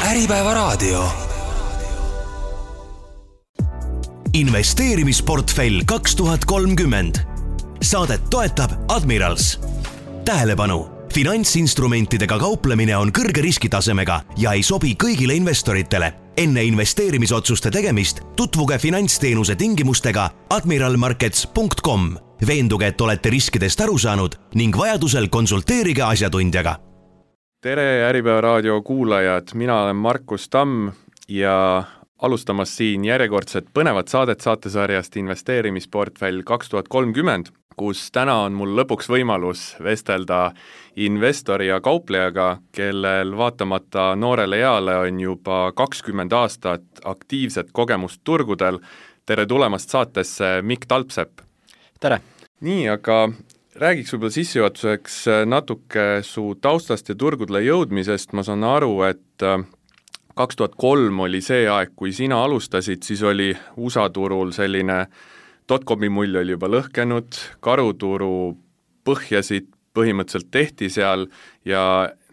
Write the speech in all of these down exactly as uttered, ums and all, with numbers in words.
Äripäeva raadio. Investeerimisportfell kaks tuhat kolmkümmend. Saadet toetab Admirals. Tähelepanu! Finantsinstrumentidega kauplemine on kõrge riskitasemega ja ei sobi kõigile investoritele. Enne investeerimisotsuste tegemist tutvuge finantsteenuse tingimustega admiral markets punkt com. Veenduge, et olete riskidest aru saanud ning vajadusel konsulteerige asjatundjaga. Tere Äripäeva raadio kuulajad, mina olen Markus Tamm ja alustamas siin järjekordset põnevat saadet saatesarjast Investeerimisportfell kaks tuhat kolmkümmend, kus täna on mul lõpuks võimalus vestelda investori ja kauplejaga, kellel vaatamata noorele eale on juba kakskümmend aastat aktiivset kogemust turgudel. Tere tulemast saatesse, Mikk Talpsepp. Tere! Nii, aga räägiks võib-olla sissejuhatuseks natuke su taustast ja turgudele jõudmisest. Ma saan aru, et kaks tuhat kolm oli see aeg, kui sina alustasid, siis oli U S A turul selline dotcomi mull oli juba lõhkenud, karuturu põhjasid põhimõtteliselt tehti seal ja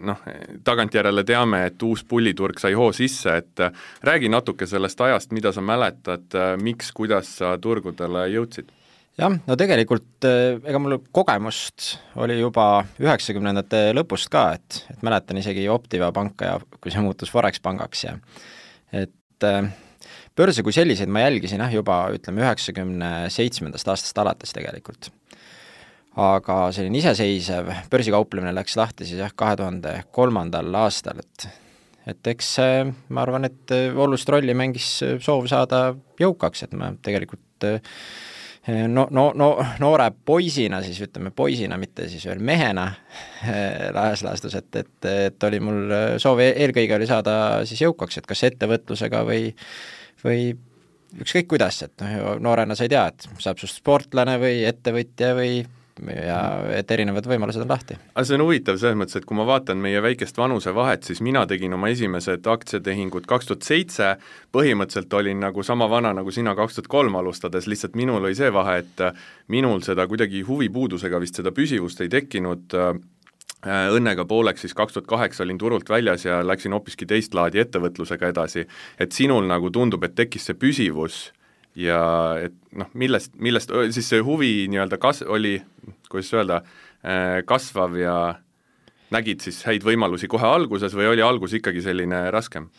noh, tagantjärele teame, et uus pulliturg sai hoo sisse, et räägi natuke sellest ajast, mida sa mäletad, miks, kuidas sa turgudele jõudsid? Jah, no tegelikult ega mul kogemust oli juba üheksakümnendate lõpust ka, et, et mäletan isegi Optiva panka ja kui see muutus Forex pangaks ja et börse kui selliseid ma jälgisin jah, juba ütleme üheksakümne seitsmendast aastast alates tegelikult. Aga selline iseseisev börsikauplemine läks lahti siis jah kahe tuhande kolmandal aastal, et, et eks ma arvan, et olulist rolli mängis soov saada jõukaks, et ma tegelikult No, no, no, noore poisina, siis ütleme poisina, mitte siis veel mehena laias laastus, et, et, et oli mul soov eelkõige oli saada siis jõukaks, et kas ettevõtlusega või, või ükskõik kuidas, et noorena sa ei tea, et saab sust sportlane või ettevõtja või ja et erinevad võimalused on lahti. Aga see on huvitav selles mõttes, et kui ma vaatan meie väikest vanuse vahet, siis mina tegin oma esimesed aktsiatehingud kaks tuhat seitse, põhimõtteliselt olin nagu sama vana nagu sina kaks tuhat kolm alustades, lihtsalt minul oli see vahe, et minul seda kuidagi huvipuudusega vist seda püsivust ei tekkinud, õnnega pooleks siis kaks tuhat kaheksa olin turult väljas ja läksin hoopiski teist laadi ettevõtlusega edasi, et sinul nagu tundub, et tekkis see püsivus ja et noh, millest, millest siis see huvi nii-öelda kas, oli, kuidas öelda, kasvav ja nägid siis häid võimalusi kohe alguses või oli algus ikkagi selline raskem?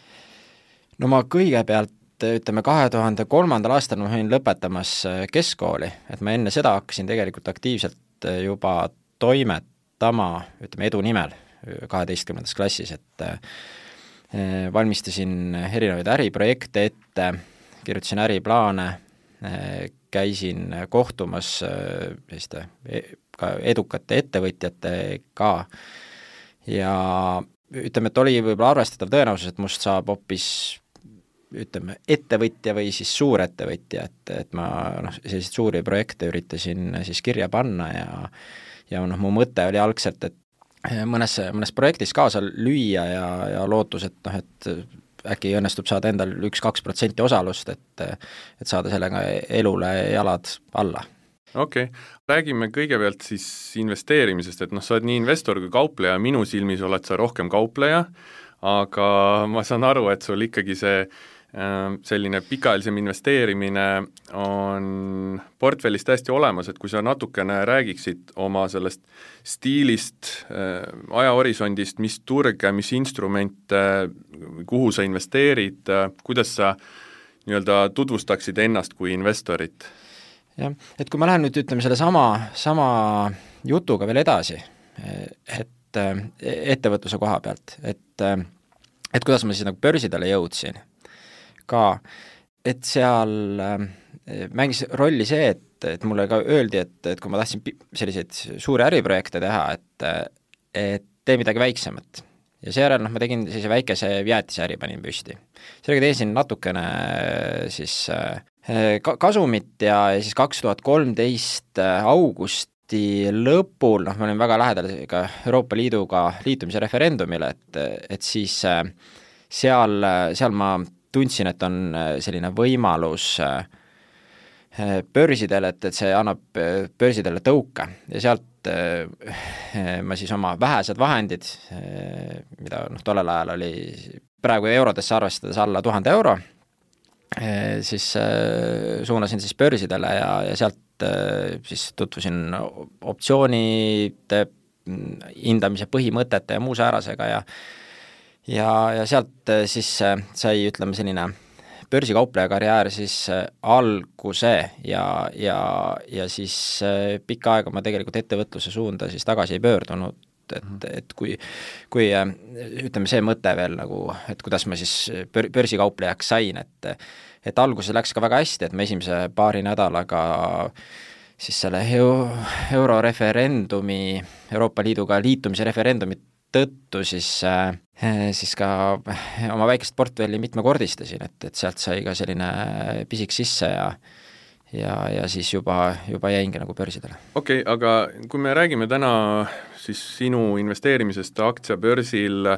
No ma kõigepealt, ütleme, kahe tuhande kolmandal aastal ma olin lõpetamas keskkooli, et ma enne seda hakkasin tegelikult aktiivselt juba toimetama, ütleme, edu nimel kaheteistkümnendas klassis, et valmistasin erinevaid äriprojekte ette, kirjutasin äriplaane, käisin kohtumas selliste ka edukate ettevõtjatega ja ütleme, et oli võib-olla arvestatav tõenäosus, et must saab hoopis ütleme, ettevõtja või siis suurettevõtja, et, et ma noh, selliseid suuri projekte üritasin siis kirja panna ja, ja noh, mu mõte oli algselt, et mõnes, mõnes projektis kaasa lüüa ja, ja lootus, et noh, et äkki õnnestub saada endal üks-kaks protsenti osalust, et, et saada sellega elule jalad alla. Okei, okay. Räägime kõigepealt siis investeerimisest, et noh, sa oled nii investor kui kaupleja, minu silmis oled sa rohkem kaupleja, aga ma saan aru, et sul ikkagi see selline pikaajalisem investeerimine on portfellis täiesti olemas, et kui sa natukene räägiksid oma sellest stiilist, ajahorisondist, mis turge, mis instrumente, kuhu sa investeerid, kuidas sa nii-öelda tutvustaksid ennast kui investorit? Jah, et kui ma lähen nüüd ütleme selle sama, sama jutuga veel edasi, et ettevõtluse koha pealt, et, et kuidas ma siis nagu börsidele jõudsin ka, et seal mängis rolli see, et, et mulle ka öeldi, et, et kui ma tahtsin selliseid suuri äriprojekte teha, et, et tee midagi väiksemat. Ja seejärel noh, ma tegin sellise väikese jäätisäri panin püsti. Sellega teesin natukene siis kasumit ja siis kaks tuhat kolmteist augusti lõpul, noh, ma olin väga lähedal ka Euroopa Liiduga liitumise referendumile, et, et siis seal, seal ma tundsin, et on selline võimalus börsidele, et, et see annab börsidele tõuke ja sealt ma siis oma vähesed vahendid, mida noh, tollel ajal oli praegu eurodesse arvestades alla tuhande euro, siis suunasin siis börsidele ja, ja sealt siis tutvusin optsioonide hindamise põhimõtete ja muu säärasega ja ja, ja sealt siis sai, ütleme, selline börsikaupleja karjäär siis alguse ja, ja, ja siis pikka aega ma tegelikult ettevõtluse suunda siis tagasi ei pöördunud, et, et kui, kui ütleme see mõte veel nagu, et kuidas ma siis bör, börsikauplejaks sain, et et alguses läks ka väga hästi, et me esimese paari nädalaga siis selle euroreferendumi, Euroopa Liiduga liitumise referendumi tõttu siis, siis ka oma väikest portfelli mitmekordistasin, et, et sealt sai ka selline pisik sisse ja ja, ja siis juba, juba jäingi nagu börsidele. Okei, okay, aga kui me räägime täna siis sinu investeerimisest aktsiabörsil,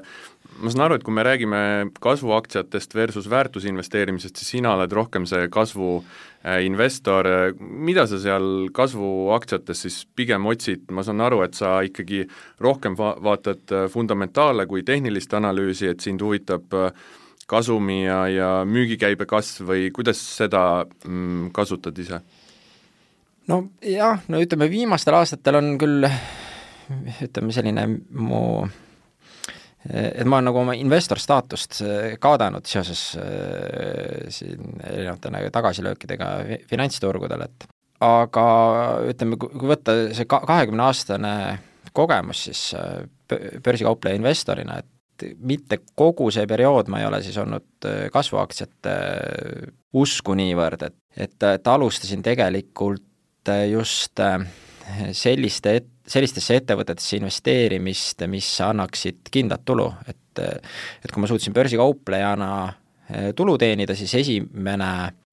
ma saan aru, et kui me räägime kasvuaktsiatest versus väärtusinvesteerimisest, siis sina oled rohkem see kasvu investor, mida sa seal kasvuaktsiates siis pigem otsid, ma saan aru, et sa ikkagi rohkem va- vaatad fundamentaale kui tehnilist analüüsi, et sind huvitab kasumi ja, ja müügikäibe kasv või kuidas seda mm, kasutad ise? No jah, no ütleme viimastel aastatel on küll ütleme selline mu et ma olen nagu oma investor staatust kaadanud seoses äh, siin erinevate nagu tagasilöökidega finantsturgudel, et aga ütleme, kui võtta see kahekümne aastane kogemus siis börsikaupleja investorina, et mitte kogu see periood ma ei ole siis olnud kasvuaktsiate usku niivõrd, et, et, et alustasin tegelikult just selliste et, sellistesse ettevõtetesse investeerimist, mis annaksid kindlat tulu, et, et kui ma suutsin börsikauplejana tulu teenida, siis esimene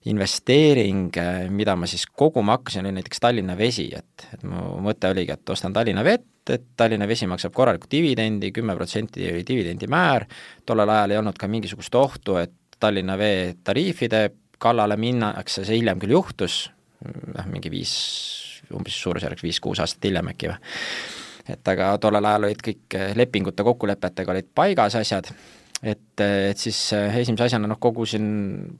investeering, mida ma siis koguma hakkasin, oli näiteks Tallinna Vesi, et, et mu mõte oligi, et ostan Tallinna Vett, et Tallinna Vesi maksab korralikult dividendi, kümme protsenti oli dividendi määr, tollel ajal ei olnud ka mingisugust ohtu, et Tallinna Vee tariifide kallale minnakse, see hiljem küll juhtus, mingi viis umbes suurusjärgs viis-kuus aastat hiljem äkki või. Et aga tollel ajal olid kõik lepingute kokkulepetega olid paigas asjad, et, et siis esimese asjana noh, kogusin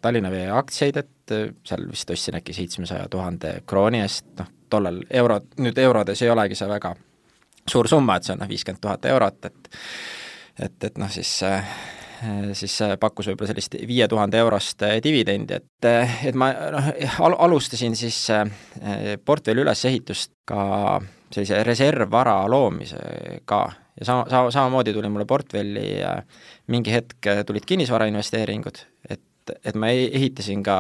Tallinna Vee aktsiaid, et seal vist ostsin äkki seitsmesaja tuhande krooni eest, noh tollel euro, nüüd eurodes ei olegi see väga suur summa, et see on noh, viiskümmend tuhat eurot, et et, et noh siis siis pakkus võib-olla sellist viie tuhande eurost dividendi, et, et ma noh, al- alustasin siis portfelli ülesehitust ka sellise reservvara loomisega ja sama, sama, samamoodi tuli mulle portfelli mingi hetk tulid kinnisvarainvesteeringud, et, et ma ehitasin ka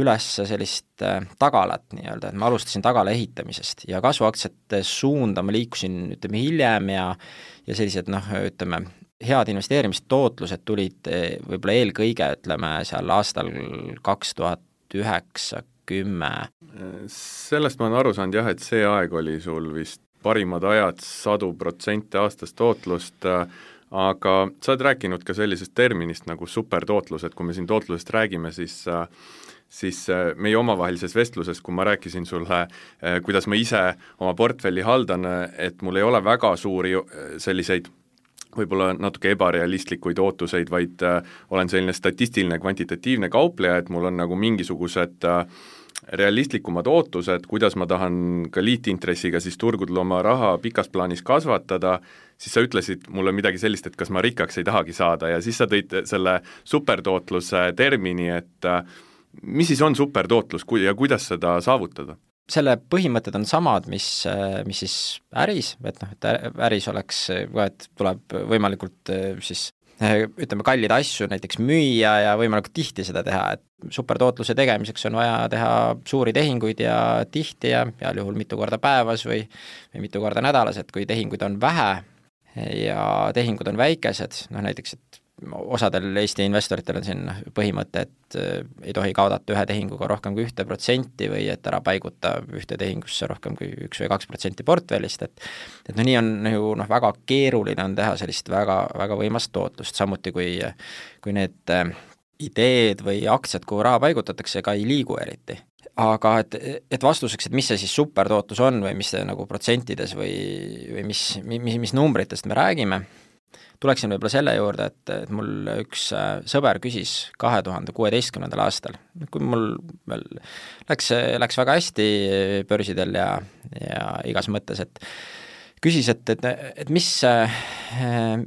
üles sellist tagalat nii-öelda, et ma alustasin tagala ehitamisest ja kasvuaktsiate suunda ma liikusin ütleme hiljem ja, ja sellised noh, ütleme head investeerimistootlused tulid võib-olla eelkõige, ütleme, seal aastal kaks tuhat üheksa kümme. Sellest ma olen aru saanud jah, et see aeg oli sul vist parimad ajad, sadu protsente aastast tootlust, aga sa oled rääkinud ka sellisest terminist nagu supertootlus, et kui me siin tootlusest räägime, siis siis meie omavahelises vestluses, kui ma rääkisin sulle, kuidas ma ise oma portfelli haldan, et mul ei ole väga suuri selliseid võib-olla natuke ebarealistlikuid ootuseid, vaid äh, olen selline statistiline kvantitatiivne kaupleja, et mul on nagu mingisugused äh, realistlikumad ootused, kuidas ma tahan ka liitintressiga siis turgudel oma raha pikas plaanis kasvatada, siis sa ütlesid mulle midagi sellist, et kas ma rikkaks ei tahagi saada ja siis sa tõid selle supertootluse termini, et äh, mis siis on supertootlus ja kuidas seda saavutada? Selle põhimõtted on samad, mis, mis siis äris, et noh, et äris oleks, et tuleb võimalikult siis ütleme kallid asju näiteks müüa ja võimalikult tihti seda teha, et supertootluse tegemiseks on vaja teha suuri tehinguid ja tihti ja heal juhul mitu korda päevas või, või mitu korda nädalas, et kui tehinguid on vähe ja tehingud on väikesed, noh näiteks, et osadel Eesti investoritel on siin põhimõte, et ei tohi kaodata ühe tehinguga rohkem kui ühte protsenti või et ära paiguta ühte tehingusse rohkem kui üks või kaks protsenti portfellist, et et no nii on ju noh, väga keeruline on teha sellist väga, väga võimast tootlust, samuti kui, kui need ideed või aktsiad, kuhu raha paigutatakse, ka ei liigu eriti. Aga et, et vastuseks, et mis see siis supertootlus on või mis see nagu protsentides või, või mis, mis, mis numbritest me räägime, tuleksin võib-olla selle juurde, et, et mul üks sõber küsis kahe tuhande kuueteistkümnendal aastal, kui mul veel läks, läks väga hästi börsidel ja, ja igas mõttes, et küsis, et, et, et mis,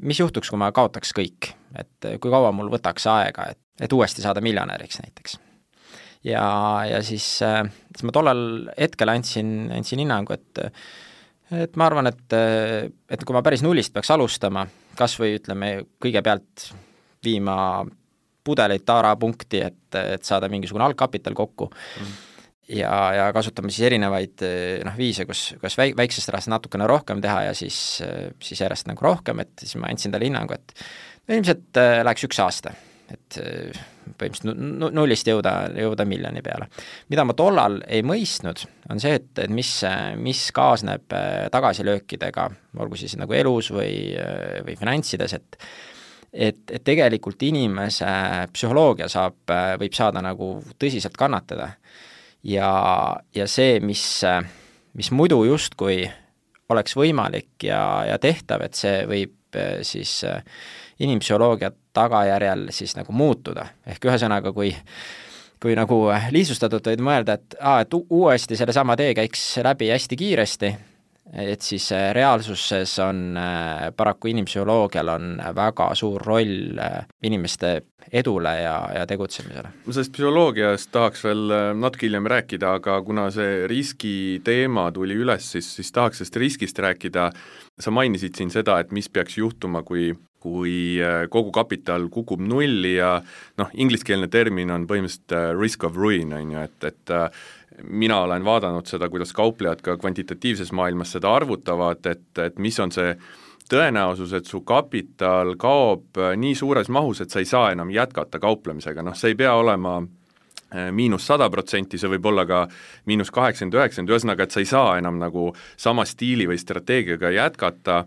mis juhtuks, kui ma kaotaks kõik, et kui kaua mul võtaks aega, et, et uuesti saada miljonäriks näiteks. Ja, ja siis, siis ma tollal hetkel andsin, andsin hinnangu, et et ma arvan, et, et kui ma päris nullist peaks alustama, kas või ütleme kõigepealt viima pudeleid taarapunkti, et, et saada mingisugune algkapital kokku mm. ja, ja kasutame siis erinevaid noh, viise, kus, kus väik, väiksest rahast natukene rohkem teha ja siis, siis järjest nagu rohkem, et siis ma andsin talle hinnangu, et ilmselt läheks üks aasta, et põhimõtteliselt nullist jõuda, jõuda miljoni peale. Mida ma tollal ei mõistnud, on see, et, et mis, mis kaasneb tagasilöökidega, olgu siis nagu elus või, või finantsides, et, et, et tegelikult inimese psühholoogia saab, võib saada nagu tõsiselt kannatada. Ja, ja see, mis, mis muidu justkui oleks võimalik ja, ja tehtav, et see võib siis inimpsühholoogia tagajärjel siis nagu muutuda. Ehk ühesõnaga, kui, kui nagu lihtsustatult võid mõelda, et, aa, et uuesti selle sama tee käiks läbi hästi kiiresti, et siis reaalsuses on paraku inimpsühholoogial on väga suur roll inimeste edule ja, ja tegutsemisele. Ma sellest psühholoogiast tahaks veel natuke hiljem rääkida, aga kuna see riski teema tuli üles, siis, siis tahaks sellest riskist rääkida. Sa mainisid siin seda, et mis peaks juhtuma, kui, kui kogu kapital kukub nulli ja noh, ingliskeelne termin on põhimõtteliselt risk of ruin, on ju, et, et mina olen vaadanud seda, kuidas kauplejad ka kvantitatiivses maailmas seda arvutavad, et, et mis on see tõenäosus, et su kapital kaob nii suures mahus, et sa ei saa enam jätkata kauplemisega. Noh, see ei pea olema miinus sada protsenti, see võib olla ka miinus kaheksakümmend üheksakümmend, ühesõnaga, et sa ei saa enam nagu sama stiili või strateegiaga jätkata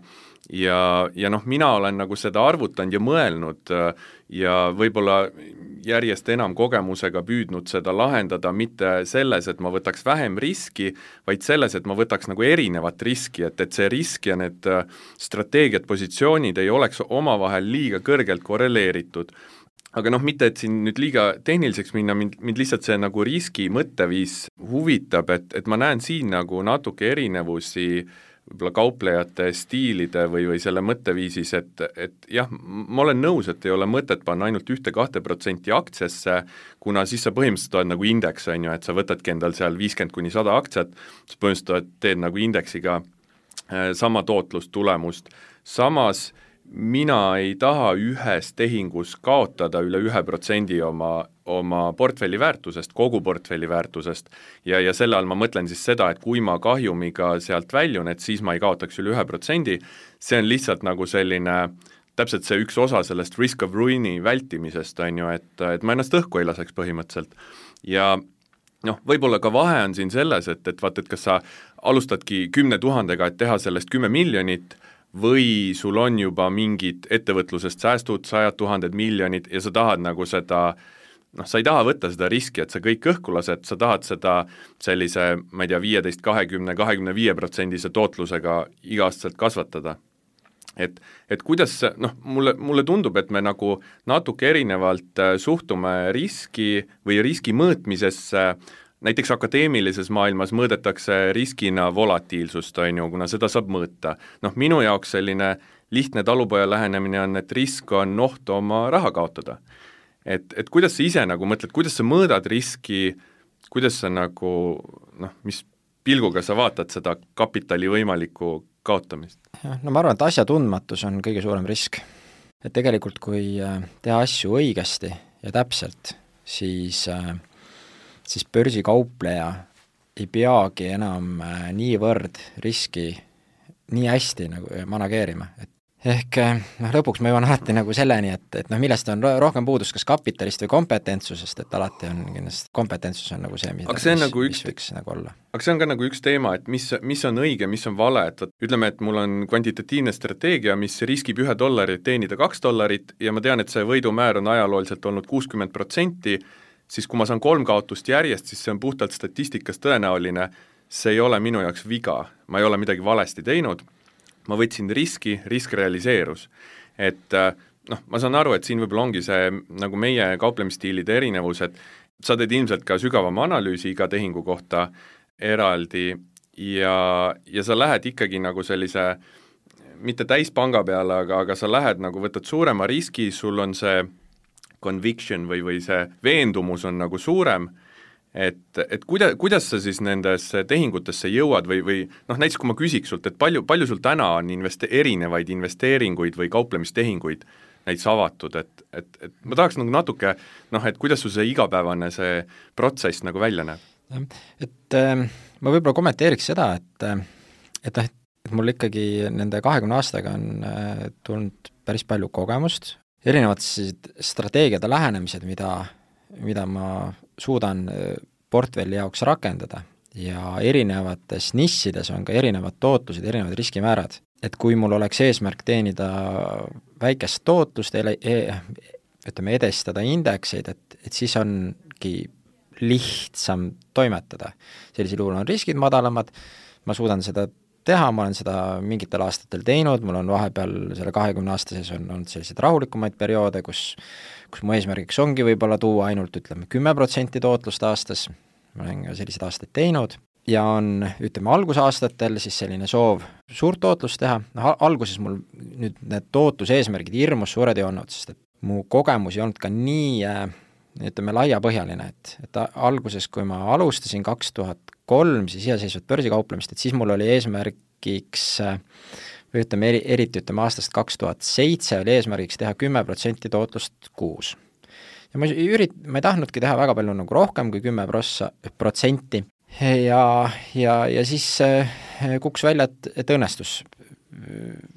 ja, ja noh, mina olen nagu seda arvutanud ja mõelnud ja võib-olla järjest enam kogemusega püüdnud seda lahendada mitte selles, et ma võtaks vähem riski, vaid selles, et ma võtaks nagu erinevat riski, et, et see risk ja need strateegiad, positsioonid ei oleks omavahel liiga kõrgelt korreleeritud. Aga noh, mitte et siin nüüd liiga tehniliseks minna, mind, mind lihtsalt see nagu riski mõtteviis huvitab, et, et ma näen siin nagu natuke erinevusi võib-olla kauplejate stiilide või, või selle mõtteviisis, et, et jah, ma olen nõus, et ei ole mõtet panna ainult ühte-kahte protsenti aktsiasse, kuna siis sa põhimõtteliselt oled nagu indeks, on ju, et sa võtadki endal seal viiskümmend kuni sada aktsiat, sa põhimõtteliselt teed nagu indeksiga sama tootlust, tulemust. Samas mina ei taha ühes tehingus kaotada üle ühe protsendi oma, oma portfelli väärtusest, kogu portfelli väärtusest ja, ja selle all ma mõtlen siis seda, et kui ma kahjumiga sealt väljun, et siis ma ei kaotaks üle ühe protsendi, see on lihtsalt nagu selline, täpselt see üks osa sellest risk of ruini vältimisest, on ju, et, et ma ennast õhku ei laseks põhimõtteliselt ja noh, võib-olla ka vahe on siin selles, et, et vaat, et kas sa alustadki kümne tuhandega, et teha sellest kümme miljonit või sul on juba mingid ettevõtlusest säästud, sajad tuhanded miljonid ja sa tahad nagu seda, noh, sa ei taha võtta seda riski, et sa kõik õhku lased, sa tahad seda sellise, ma ei tea, viieteist, kahekümne, kahekümne viie protsendise tootlusega iga-aastaselt kasvatada. Et, et kuidas, noh, mulle, mulle tundub, et me nagu natuke erinevalt suhtume riski või riski mõõtmisesse. Näiteks akadeemilises maailmas mõõdetakse riskina volatiilsust, on ju, kuna seda saab mõõta. Noh, minu jaoks selline lihtne talupoja lähenemine on, et risk on oht oma raha kaotada. Et, et kuidas sa ise nagu mõtled, kuidas sa mõõdad riski, kuidas sa nagu, noh, mis pilguga sa vaatad seda kapitali võimalikku kaotamist? No ma arvan, et asja tundmatus on kõige suurem risk. Et tegelikult, kui teha asju õigesti ja täpselt, siis siis börsikaupleja ei peagi enam niivõrd riski nii hästi nagu manageerima. Et ehk noh, lõpuks ma jõuan alati nagu selleni, et, et noh, millest on rohkem puudus, kas kapitalist või kompetentsusest, et alati on kindlasti kompetentsus on nagu see, mis, see mis, nagu üks, mis võiks nagu olla. Aga see on ka nagu üks teema, et mis, mis on õige, mis on vale, et ütleme, et mul on kvantitatiivne strateegia, mis riskib ühe dollari teenida kaks dollarit ja ma tean, et see võidumäär on ajalooliselt olnud kuuskümmend protsenti, siis kui ma saan kolm kaotust järjest, siis see on puhtalt statistikas tõenäoline, see ei ole minu jaoks viga, ma ei ole midagi valesti teinud, ma võtsin riski, risk realiseerus. et noh, ma saan aru, et siin võib-olla ongi see nagu meie kauplemisstiilide erinevus, et sa teed ilmselt ka sügavama analüüsi iga tehingu kohta eraldi ja, ja sa lähed ikkagi nagu sellise mitte täispanga peale, aga, aga sa lähed nagu, võtad suurema riski, sul on see conviction või, või see veendumus on nagu suurem, et, et kuida, kuidas sa siis nendesse tehingutesse jõuad või, või noh, näiteks kui ma küsiks sult, et palju, palju sul täna on investe-, erinevaid investeeringuid või kauplemistehinguid näiteks avatud, et, et, et ma tahaks nagu natuke, noh, et kuidas sul see igapäevane see protsess nagu välja näeb? Et äh, ma võib-olla kommenteeriks seda, et et noh, et mul ikkagi nende kahekümne aastaga on äh, tulnud päris palju kogemust, erinevad strateegiad ja lähenemised, mida, mida ma suudan portfelli jaoks rakendada ja erinevates nissides on ka erinevad tootlused, erinevad riskimäärad. Et kui mul oleks eesmärk teenida väikest tootlust, ütleme edestada indekseid, et, et siis ongi lihtsam toimetada. Sellisel juhul on riskid madalamad, ma suudan seda teha, ma olen seda mingitel aastatel teinud, mul on vahepeal selle kahekümne aastases on olnud selliseid rahulikumaid perioode, kus, kus mu eesmärgiks ongi võib-olla tuua ainult ütleme kümme protsenti tootlust aastas, ma olen ka selliseid aastaid teinud, ja on, ütleme, algusaastatel siis selline soov suurt tootlust teha, noh, alguses mul nüüd need tootluse eesmärgid hirmus suured ei olnud, sest et mu kogemus ei olnud ka nii, ütleme, laiapõhjaline, et, et alguses, kui ma alustasin kaks tuhat kolm siis iseseisvat börsikauplemist, et siis mul oli eesmärgiks, või ütleme, eri, eriti ütleme aastast kaks tuhat seitse oli eesmärgiks teha kümme protsenti tootlust kuus. Ja ma, ürit, ma ei tahtnudki teha väga palju nagu rohkem kui kümme protsenti ja, ja, ja siis kuks välja, et, et õnnestus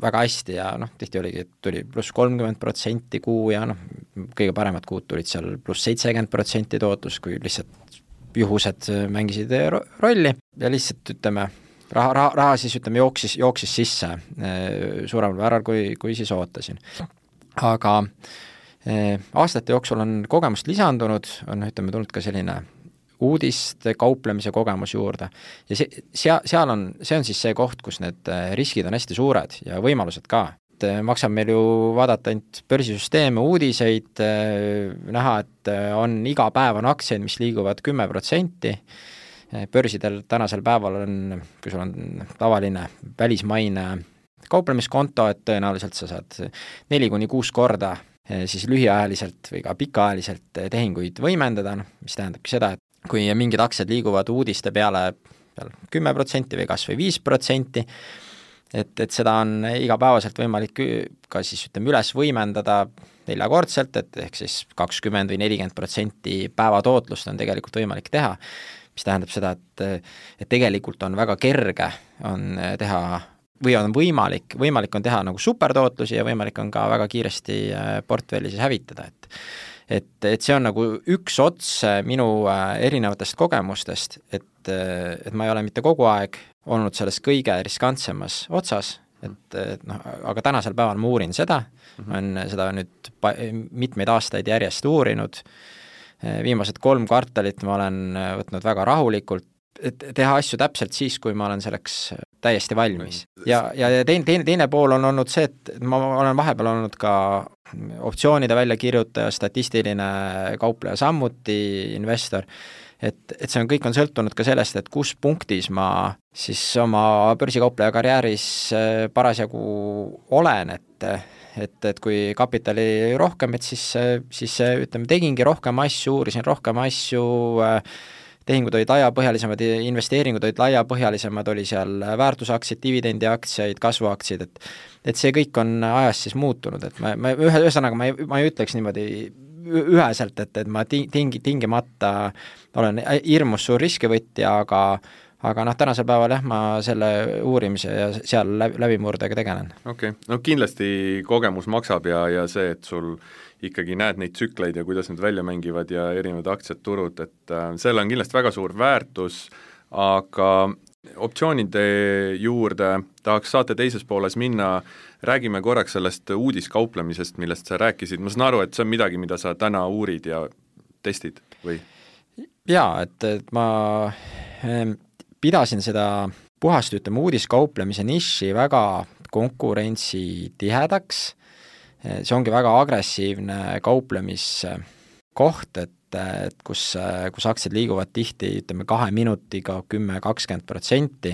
väga hästi ja noh, tihti oligi, et tuli pluss kolmkümmend protsenti kuu ja noh, kõige paremad kuud tulid seal pluss seitsekümmend protsenti tootlus, kui lihtsalt juhused mängisid rolli ja lihtsalt ütleme, raha, raha, raha siis ütleme jooksis, jooksis sisse suuremal määral, kui, kui siis ootasin. Aga eh, aastate jooksul on kogemust lisandunud, on ütleme tulnud ka selline uudiste kauplemise kogemus juurde ja see, seal, seal on, see on siis see koht, kus need riskid on hästi suured ja võimalused ka. Maksab meil ju vaadata ainult börsisüsteeme, uudiseid, näha, et on iga päev on aktsiaid, mis liiguvad kümme protsenti. Börsidel tänasel päeval on, kui sul on tavaline välismaine kauplemiskonto, et tõenäoliselt sa saad neli kuni kuus korda siis lühiajaliselt või ka pikaajaliselt tehinguid võimendada, mis tähendabki seda, et kui mingid aktsiad liiguvad uudiste peale kümme protsenti või kas või viis protsenti, et, et seda on igapäevaselt võimalik ka siis ütleme üles võimendada neljakordselt, et ehk siis kakskümmend või nelikümmend protsenti päevatootlust on tegelikult võimalik teha, mis tähendab seda, et, et tegelikult on väga kerge on teha või on võimalik, võimalik on teha nagu supertootlusi ja võimalik on ka väga kiiresti portfelli siis hävitada, et et, et see on nagu üks ots minu erinevatest kogemustest, et, et ma ei ole mitte kogu aeg olnud selles kõige riskantsemas otsas, et, et noh, aga tänasel päeval ma uurin seda, ma olen seda nüüd pa- mitmeid aastaid järjest uurinud, viimased kolm kvartalit ma olen võtnud väga rahulikult, et teha asju täpselt siis, kui ma olen selleks täiesti valmis. Ja, ja teine, teine, teine pool on olnud see, et ma olen vahepeal olnud ka optsioonide väljakirjutaja, statistiline kaupleja, samuti investor, et, et see on, kõik on sõltunud ka sellest, et kus punktis ma siis oma börsikaupleja karjääris parasjagu olen, et, et, et kui kapitali rohkem, et siis, siis ütleme, tegingi rohkem asju, uurisin rohkem asju, tehingud olid laiapõhjalisemad, investeeringud olid laiapõhjalisemad, oli seal väärtusaktsiad, dividendiaktsiaid, kasvuaktsiad, et et see kõik on ajas siis muutunud, et ma, ma ühe, ühesõnaga ma ei, ma ei ütleks niimoodi üheselt, et, et ma tingi, tingimata olen hirmus suur riskivõtja, aga aga noh, tänasel päeval jah, ma selle uurimise ja seal läbimurdega tegelen. Okei, okay. No kindlasti kogemus maksab ja, ja see, et sul ikkagi näed neid tsükleid ja kuidas need välja mängivad ja erinevad aktsiad, turud, et äh, selle on kindlasti väga suur väärtus, aga optsioonide juurde tahaks saate teises pooles minna, räägime korraks sellest uudiskauplemisest, millest sa rääkisid, ma saan aru, et see on midagi, mida sa täna uurid ja testid või? Jaa, et, et ma ähm, pidasin seda puhast, ütleme, uudiskauplemise niši väga konkurentsi tihedaks see ongi väga agressiivne kauplemiskoht, et et kus, kus aktsiad liiguvad tihti, ütleme, kahe minutiga kümme kakskümmend protsenti,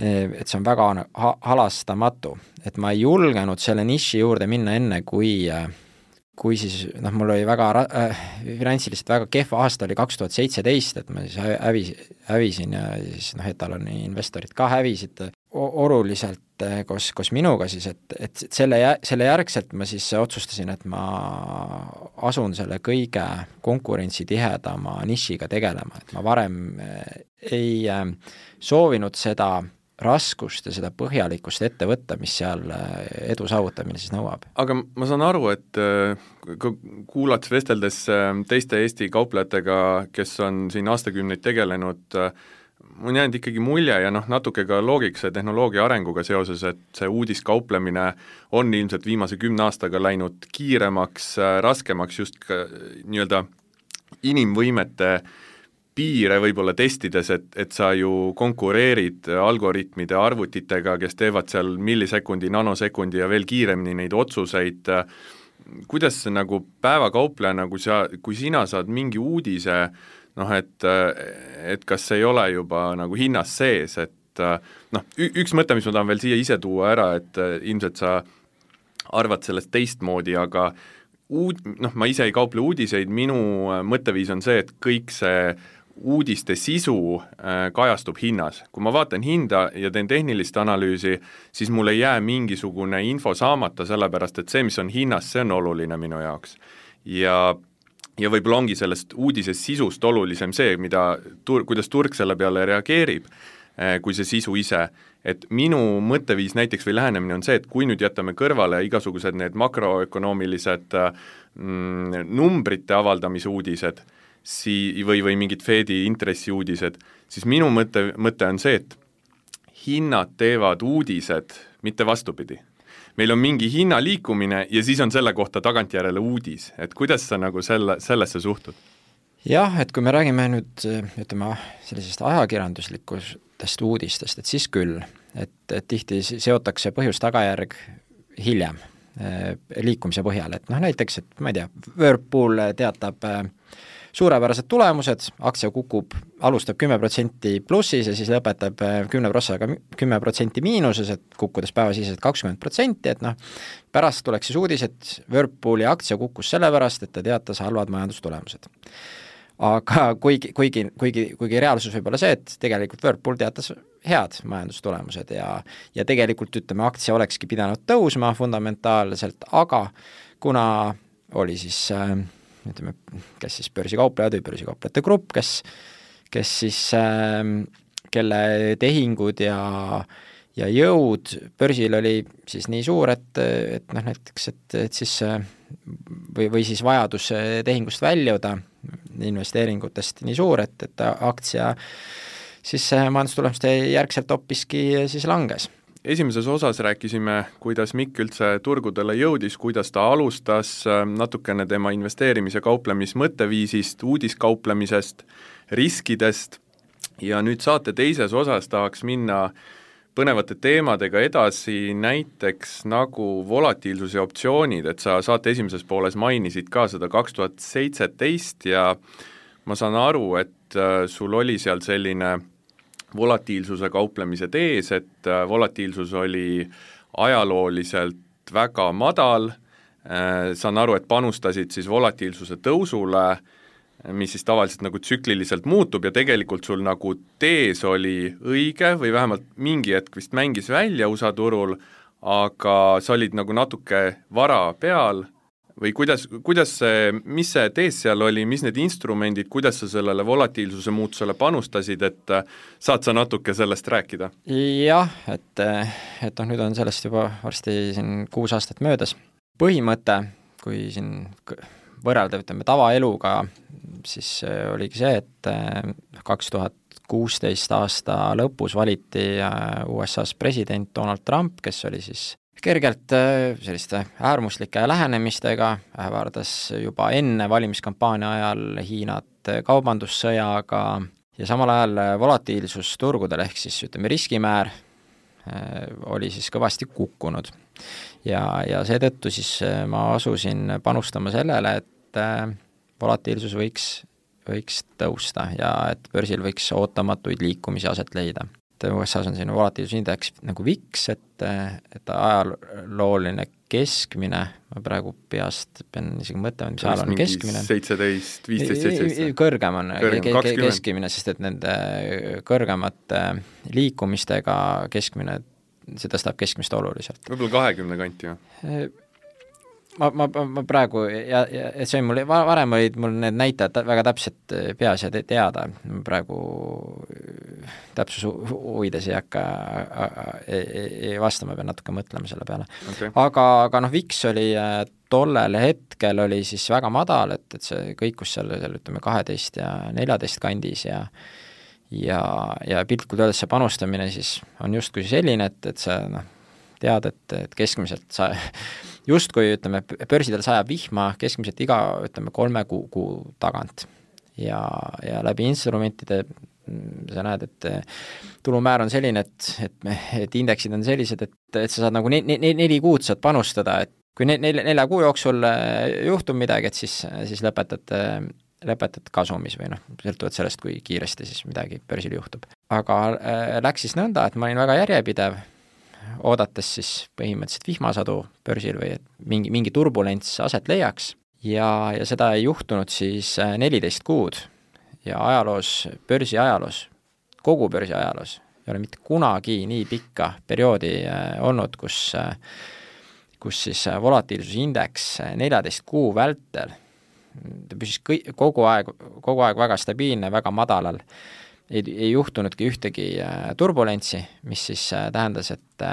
et see on väga ha- halastamatu. Et ma ei julgenud selle niši juurde minna enne, kui, kui siis, noh, mul oli väga äh, finantsiliselt väga kehva aasta oli kaks tuhat seitseteist, et ma siis hävis, hävisin ja siis noh, etaloni investorid ka hävisid oluliselt koos, koos minuga siis, et, et selle, selle järgselt ma siis otsustasin, et ma asun selle kõige konkurentsitihedama nišiga tegelema, et ma varem ei soovinud seda raskust ja seda põhjalikkust ette võtta, mis seal edu saavutamine siis nõuab. Aga ma saan aru, et kuulates vesteldes teiste Eesti kauplejatega, kes on siin aastakümneid tegelenud, on jäänud ikkagi mulje ja noh, natuke ka loogikse tehnoloogia arenguga seoses, et see uudiskauplemine on ilmselt viimase kümne aastaga läinud kiiremaks, raskemaks just ka nii-öelda inimvõimete piire võib-olla testides, et, et sa ju konkureerid algoritmide arvutitega, kes teevad seal millisekundi, nanosekundi ja veel kiiremini neid otsuseid. Kuidas nagu päevakaupleja, nagu sa, kui sina saad mingi uudise, noh, et, et kas ei ole juba nagu hinnas sees, et noh, üks mõte, mis ma tahan veel siia ise tuua ära, et ilmselt sa arvad sellest teistmoodi, aga uud, noh, ma ise ei kauple uudiseid, minu mõtteviis on see, et kõik see uudiste sisu kajastub hinnas. Kui ma vaatan hinda ja teen tehnilist analüüsi, siis mul ei jää mingisugune info saamata, sellepärast et see, mis on hinnas, see on oluline minu jaoks. Ja ja võib-olla ongi sellest uudisest sisust olulisem see, mida tur-, kuidas turg selle peale reageerib, kui see sisu ise. Et minu mõtteviis näiteks või lähenemine on see, et kui nüüd jätame kõrvale igasugused need makroökonoomilised mm, numbrite avaldamise uudised sii- või, või mingid Fedi intressiuudised, siis minu mõte, mõte on see, et hinnad teevad uudised, mitte vastupidi. Meil on mingi hinna liikumine ja siis on selle kohta tagantjärele uudis, et kuidas sa nagu selle, sellesse suhtud? Jah, et kui me räägime nüüd, ütleme, sellisest ajakirjanduslikustest uudistest, et siis küll, et, et tihti seotakse põhjus-tagajärg hiljem liikumise põhjal, et noh, näiteks, et ma ei tea, Whirlpool teatab suurepärased tulemused, aktsia kukub, alustab kümme protsenti plussis ja siis lõpetab kümne prossaga kümme protsenti miinuses, et kukkudes päevasiseselt kakskümmend protsenti, et noh, pärast tuleks siis uudis, et Whirlpooli aktsia kukkus sellepärast, et ta teatas halvad majandustulemused. Aga kuigi, kuigi, kuigi, kuigi reaalsus võib olla see, et tegelikult Whirlpool teatas head majandustulemused ja, ja tegelikult ütleme, aktsia olekski pidanud tõusma fundamentaalselt, aga kuna oli siis äh, ütleme, kes siis börsikauplejad või börsikauplejate grupp, kes, kes siis, äh, kelle tehingud ja, ja jõud börsil oli siis nii suur, et, et noh, näiteks, et, et siis või, või siis vajadus tehingust väljuda investeeringutest nii suur, et, et aktsia siis majandustulemuste järgselt hoppiski siis langes. Esimeses osas rääkisime, kuidas Mikk üldse turgudele jõudis, kuidas ta alustas, natukene tema investeerimise kauplemismõtteviisist, uudiskauplemisest, riskidest ja nüüd saate teises osas tahaks minna põnevate teemadega edasi, näiteks nagu volatiilsus ja optsioonid, et sa saate esimeses pooles mainisid ka seda kaks tuhat seitseteist ja ma saan aru, et sul oli seal selline volatiilsuse kauplemise tees, et volatiilsus oli ajalooliselt väga madal, saan aru, et panustasid siis volatiilsuse tõusule, mis siis tavaliselt nagu tsükliliselt muutub ja tegelikult sul nagu tees oli õige või vähemalt mingi hetk vist mängis välja U S A turul, aga sa olid nagu natuke vara peal või kuidas, kuidas see, mis see tees seal oli, mis need instrumendid, kuidas sa sellele volatiilsuse muutusele panustasid, et saad sa natuke sellest rääkida? Jah, et, et noh, nüüd on sellest juba varsti siin kuus aastat möödas. Põhimõte, kui siin võrrelda, ütleme, tavaeluga, siis oligi see, et kaks tuhat kuusteist aasta lõpus valiti U S A-s president Donald Trump, kes oli siis kergelt selliste äärmuslike lähenemistega, ähvardas juba enne valimiskampaania ajal Hiinat kaubandussõjaga ja samal ajal volatiilsus turgudel ehk siis ütleme riskimäär oli siis kõvasti kukkunud. Ja, ja seetõttu siis ma asusin panustama sellele, et volatiilsus võiks, võiks tõusta ja et börsil võiks ootamatuid liikumisi aset leida. U S A-s on siin volatiilsusindeks nagu V I X, et, et ajalooline keskmine, ma praegu peast pean isegi mõtlema, mis ajal on keskmine. seitseteist, viisteist, seitseteist. Kõrgem on Kõrgem, keskmine, sest et nende kõrgemate liikumistega keskmine, see tõstab keskmist oluliselt. Võib-olla kahekümne kanti, jah? Ma, ma, ma praegu, ja, ja et see on mul, varem olid mul need näitajad väga täpselt peas ja teada, praegu täpsus huvides ei hakka ei, ei vastama, pean natuke mõtlema selle peale. Okay. Aga, aga noh, V I X oli tollel hetkel oli siis väga madal, et, et see kõikus seal, seal ütleme kaheteist ja neljateist kandis ja ja, ja piltlikult öeldes see panustamine siis on justkui selline, et, et see noh, tead, et, et keskmiselt sa justkui, ütleme, börsidel sajab vihma keskmiselt iga, ütleme, kolme kuu, kuu tagant. Ja, ja läbi instrumentide sa näed, et tulumäär on selline, et, et, et indeksid on sellised, et, et sa saad nagu ne, ne, neli kuud saad panustada, et kui ne, nelja, nelja kuu jooksul juhtub midagi, et siis, siis lõpetad, lõpetad kasumis või noh, sõltuvad sellest, kui kiiresti siis midagi börsil juhtub. Aga äh, läks siis nõnda, et ma olin väga järjepidev, oodates siis põhimõtteliselt vihmasadu börsil või et mingi, mingi turbulents aset leiaks ja, ja seda ei juhtunud siis neliteist kuud ja ajaloos, börsi ajaloos, kogu börsi ajaloos ei ole mitte kunagi nii pikka perioodi olnud, kus, kus siis volatiilsusindeks neljateist kuu vältel ta püsis kõik, kogu aeg, kogu aeg väga stabiilne, väga madalal. Ei, ei juhtunudki ühtegi turbulentsi, mis siis tähendas, et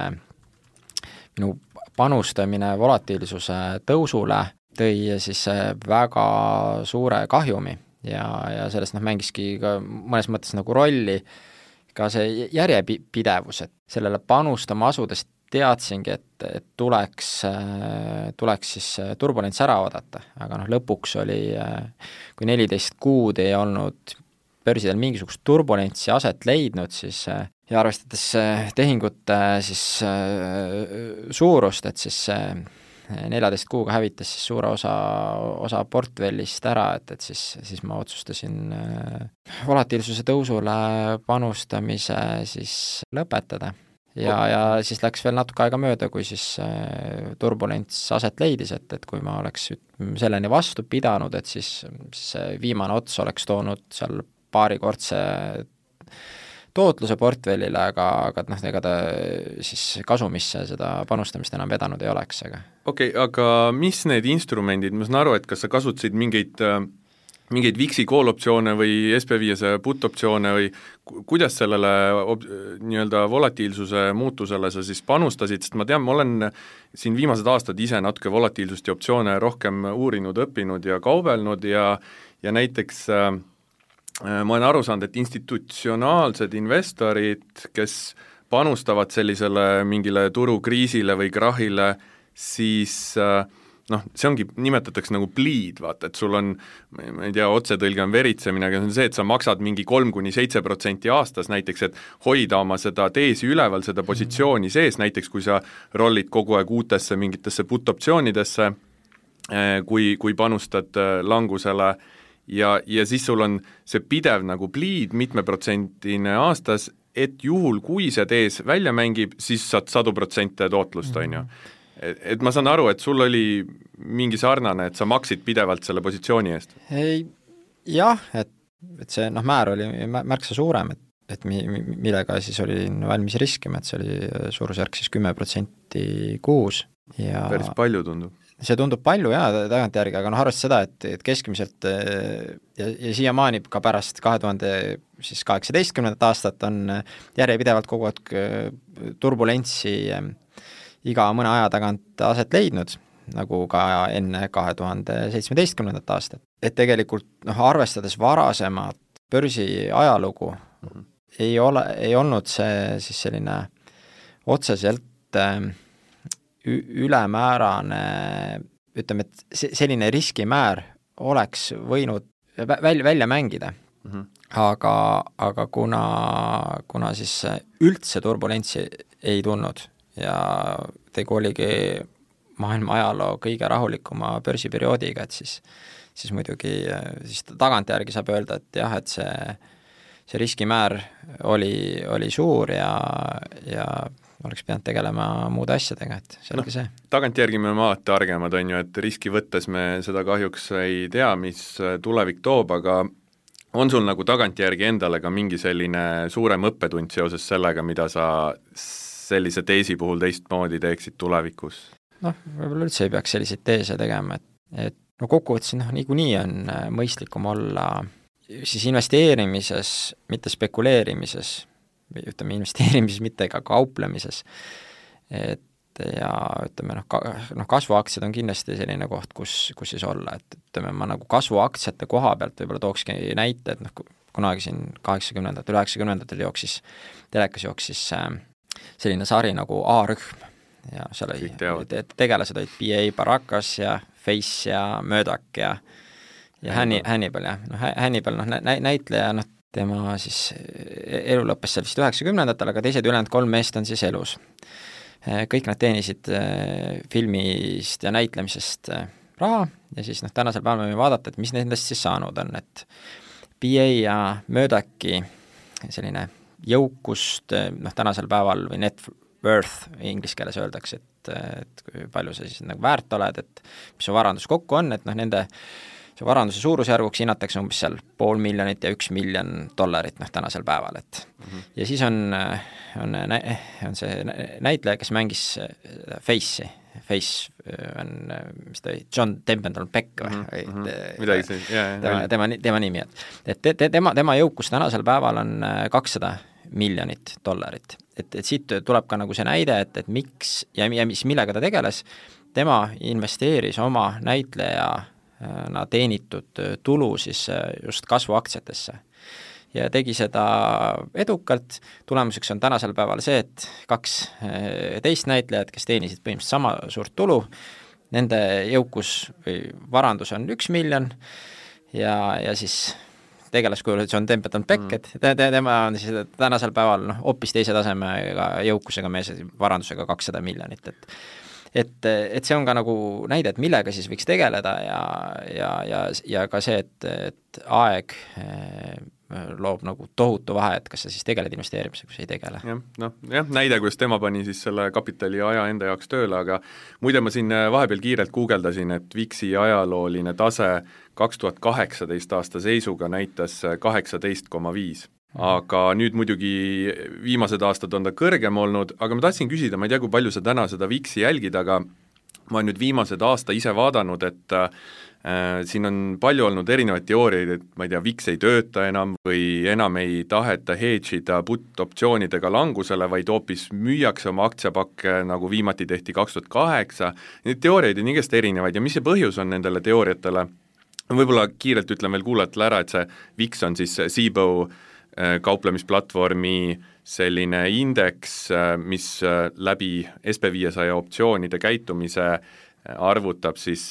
minu panustamine volatiilsuse tõusule tõi siis väga suure kahjumi ja, ja sellest noh, mängiski ka mõnes mõttes nagu rolli ka see järjepidevus, et sellele panustama asudes teadsingi, et, et tuleks, tuleks siis turbulents ära oodata, aga noh, lõpuks oli, kui neliteist kuud ei olnud börsidel mingisugust turbulentsi aset leidnud, siis ja arvestades tehingute siis suurust, et siis neljateist kuuga hävitas siis suure osa, osa portfellist ära, et, et siis, siis ma otsustasin volatiilsuse tõusule panustamise siis lõpetada. Ja, ja siis läks veel natuke aega mööda, kui siis turbulents aset leidis, et, et kui ma oleks selleni vastu pidanud, et siis, siis viimane ots oleks toonud seal paarikordse tootluse portfellile, aga, aga noh, ega ta siis kasumisse seda panustamist enam vedanud ei oleks. Okei, okay, aga mis need instrumendid, ma saan aru, et kas sa kasutasid mingeid, mingeid V I X-i call-optsioone või S P viie put-optsioone või kuidas sellele nii-öelda volatiilsuse muutusele sa siis panustasid, sest ma tean, ma olen siin viimased aastad ise natuke volatiilsust ja optsioone rohkem uurinud, õppinud ja kaubelnud ja, ja näiteks ma olen aru saanud, et institutsionaalsed investorid, kes panustavad sellisele mingile turukriisile või krahile, siis noh, see ongi, nimetatakse nagu bleed, vaata, et sul on, ma ei tea, otsetõlge on veritsemine, aga see on see, et sa maksad mingi kolm kuni seitse protsenti aastas näiteks, et hoida oma seda teesi üleval, seda positsiooni sees, näiteks kui sa rollid kogu aeg uutesse mingitesse put-optsioonidesse, kui, kui panustad langusele, ja, ja siis sul on see pidev nagu bleed mitmeprotsentine aastas, et juhul, kui see tees välja mängib, siis saad sadu protsente tootlust, on ju. Et, et ma saan aru, et sul oli mingi sarnane, et sa maksid pidevalt selle positsiooni eest? Ei, jah, et, et see noh, määr oli märksa suurem, et, et mi, millega siis oli valmis riskima, et see oli suurusjärk siis kümme protsenti kuus. Ja päris palju tundub. See tundub palju jaa tagantjärgi, aga noh, arvestades seda, et, et keskmiselt ja, ja siiamaani ka pärast kahe tuhande kaheksateistkümnendat aastat on järjepidevalt kogu aeg turbulentsi iga mõne aja tagant aset leidnud, nagu ka enne kahe tuhande seitsmeteistkümnendat aastat. Et tegelikult noh, arvestades varasemat börsi ajalugu mm-hmm. ei ole, ei olnud see siis selline otseselt ülemäärane, ütleme, et selline riskimäär oleks võinud välja, välja mängida. mm-hmm. aga, aga kuna, kuna siis üldse turbulentsi ei tulnud ja tegu oligi maailma ajaloo kõige rahulikuma börsiperioodiga, et siis, siis muidugi siis tagantjärgi saab öelda, et jah, et see, see riskimäär oli, oli suur ja, ja oleks pidanud tegelema muude asjadega, et see oligi no, see. Tagantjärgi me oleme alati targemad, on ju, et riski võttes me seda kahjuks ei tea, mis tulevik toob, aga on sul nagu tagantjärgi endale ka mingi selline suurem õppetund seoses sellega, mida sa sellise teesi puhul teistmoodi teeksid tulevikus? Noh, võib-olla üldse ei peaks selliseid teese tegema, et, et no kokkuvõttes noh, niikuinii on mõistlikum olla siis investeerimises, mitte spekuleerimises, või ütleme investeerimises, mitte ka kauplemises, et ja ütleme noh, ka, noh kasvuaktsiad on kindlasti selline koht, kus, kus siis olla, et ütleme, ma nagu kasvuaktsiate koha pealt võib-olla tookski näite, et noh, kunagi siin kaheksakümnendatel, üheksakümnendatel jooksis, telekas jooksis selline sari nagu A-rühm ja seal oli, te, tegelased olid B A Baracus ja Face ja Murdoch ja ja Hannibal, Hannibal jah, noh Hannibal, noh nä, näitleja, noh tema siis elu lõppes seal vist üheksakümnendatel, aga teised ülejäänud kolm meest on siis elus. Kõik nad teenisid filmist ja näitlemisest raha ja siis noh, tänasel päeval me vaadata, et mis nendest siis saanud on, et B A ja Murdochi selline jõukust, noh tänasel päeval või net worth inglise keeles öeldakse, et, et kui palju sa siis nagu väärt oled, et mis su varandus kokku on, et noh nende see varanduse suurusjärguks hinnatakse umbes seal pool miljonit ja üks miljon dollarit noh tänasel päeval, et mm-hmm. ja siis on, on, on see näitleja, kes mängis Face'i, Face on, mis ta oli, John Templeton Beck või mm-hmm. midagi see, jah, tema, tema, tema nimi, et, et te, te, tema, tema jõukus tänasel päeval on kakssada miljonit dollarit, et, et siit tuleb ka nagu see näide, et, et miks ja, ja mis, millega ta tegeles, tema investeeris oma näitleja na teenitud tulu siis just kasvuaktsiatesse ja tegi seda edukalt. Tulemuseks on tänasel päeval see, et kaks teist näitlejad, kes teenisid põhimõtteliselt sama suurt tulu, nende jõukus või varandus on üks miljon ja, ja siis tegelaskujul John Templeton Beck, et te, te, tema on siis tänasel päeval noh, hoopis teise tasemega jõukusega mees varandusega kakssada miljonit, et et, et see on ka nagu näide, et millega siis võiks tegeleda ja, ja, ja, ja ka see, et, et aeg loob nagu tohutu vahe, et kas sa siis tegeled investeerimisega, kui sa ei tegele. jah, noh, jah, näide, kuidas tema pani siis selle kapitali aja enda jaoks tööle, aga muide ma siin vahepeal kiirelt guugeldasin, et VIX-i ajalooline tase kaks tuhat kaheksateist aasta seisuga näitas kaheksateist koma viis. Aga nüüd muidugi viimased aastad on ta kõrgem olnud, aga ma tahtsin küsida, ma ei tea, kui palju sa täna seda VIX-i jälgid, aga ma olen nüüd viimased aasta ise vaadanud, et äh, siin on palju olnud erinevaid teooriaid, et ma ei tea, VIX ei tööta enam või enam ei taheta hedge'ida put-optsioonidega langusele, vaid hoopis müüakse oma aktsiapakke, nagu viimati tehti kaks tuhat kaheksa. Neid teooriaid on igast erinevaid ja mis see põhjus on nendele teooriatele? Võib-olla kiirelt ütlen veel kuulajatele ära, et see VIX on siis Cboe kauplemisplatvormi selline indeks, mis läbi S P viiesaja optsioonide käitumise arvutab siis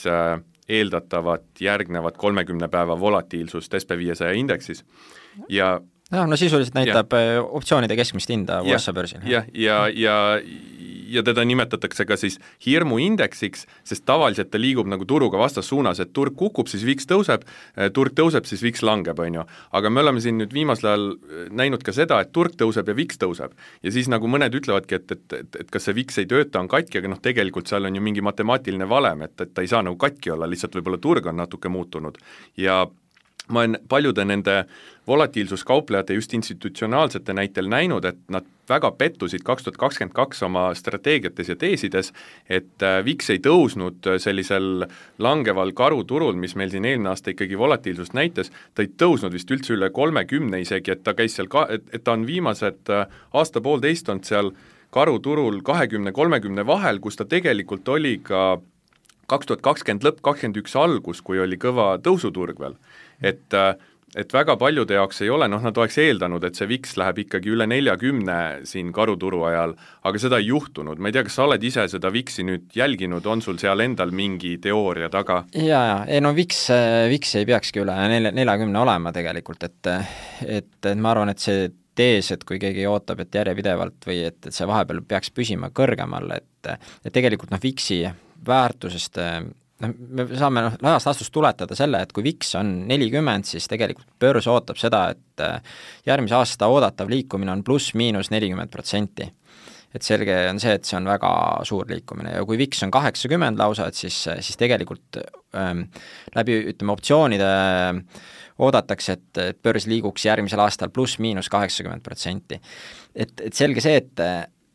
eeldatavat järgnevat kolmekümne päeva volatiilsust S P viiesaja indeksis ja no, no sisuliselt näitab ja, optsioonide keskmist hinda U S A börsil. Ja, ja, ja, ja teda nimetatakse ka siis hirmuindeksiks, sest tavaliselt ta liigub nagu turuga vastassuunas, et turg kukub, siis VIX tõuseb, turg tõuseb, siis VIX langeb, on ju. Aga me oleme siin nüüd viimasel ajal näinud ka seda, et turg tõuseb ja VIX tõuseb. Ja siis nagu mõned ütlevadki, et, et, et, et kas see VIX ei tööta, on katki, aga noh, tegelikult seal on ju mingi matemaatiline valem, et, et ta ei saa nagu katki olla, lihtsalt võib-olla turg on natuke muutunud. Ja ma olen paljude nende volatiilsuskauplejate just institutsionaalsete näitel näinud, et nad väga pettusid kaks tuhat kakskümmend kaks oma strateegiates ja teesides, et VIX ei tõusnud sellisel langeval karuturul, mis meil siin eelmine aasta ikkagi volatiilsust näitas, ta ei tõusnud vist üldse üle kolmekümne isegi, et ta käis seal, ka, et, et ta on viimased aasta poolteist olnud seal karuturul kahekümne kolmekümne vahel, kus ta tegelikult oli ka kaks tuhat kakskümmend lõpp, kakskümmend üks algus, kui oli kõva tõusuturg veel. Et et väga paljude jaoks ei ole, noh nad oleks eeldanud, et see viks läheb ikkagi üle neljakümne siin karuturu ajal, aga seda ei juhtunud. Ma ei tea, kas sa oled ise seda viksi nüüd jälginud, on sul seal endal mingi teooria taga? Jaa, jaa, ei no viks, viks ei peakski üle neljakümne olema tegelikult, et, et, et ma arvan, et see tees, et kui keegi ootab, et järjepidevalt või et, et see vahepeal peaks püsima kõrgemal, et, et tegelikult noh, viksi väärtusest, noh, me saame noh, laiast astust tuletada selle, et kui viks on nelikümmend, siis tegelikult börs ootab seda, et järgmise aasta oodatav liikumine on pluss-miinus nelikümmend protsenti. Et selge on see, et see on väga suur liikumine ja kui viks on kaheksakümmend lausa, et siis, siis tegelikult ähm, läbi, ütleme, optsioonide oodatakse, et, et börs liiguks järgmisel aastal pluss-miinus kaheksakümmend protsenti. Et, et selge see, et,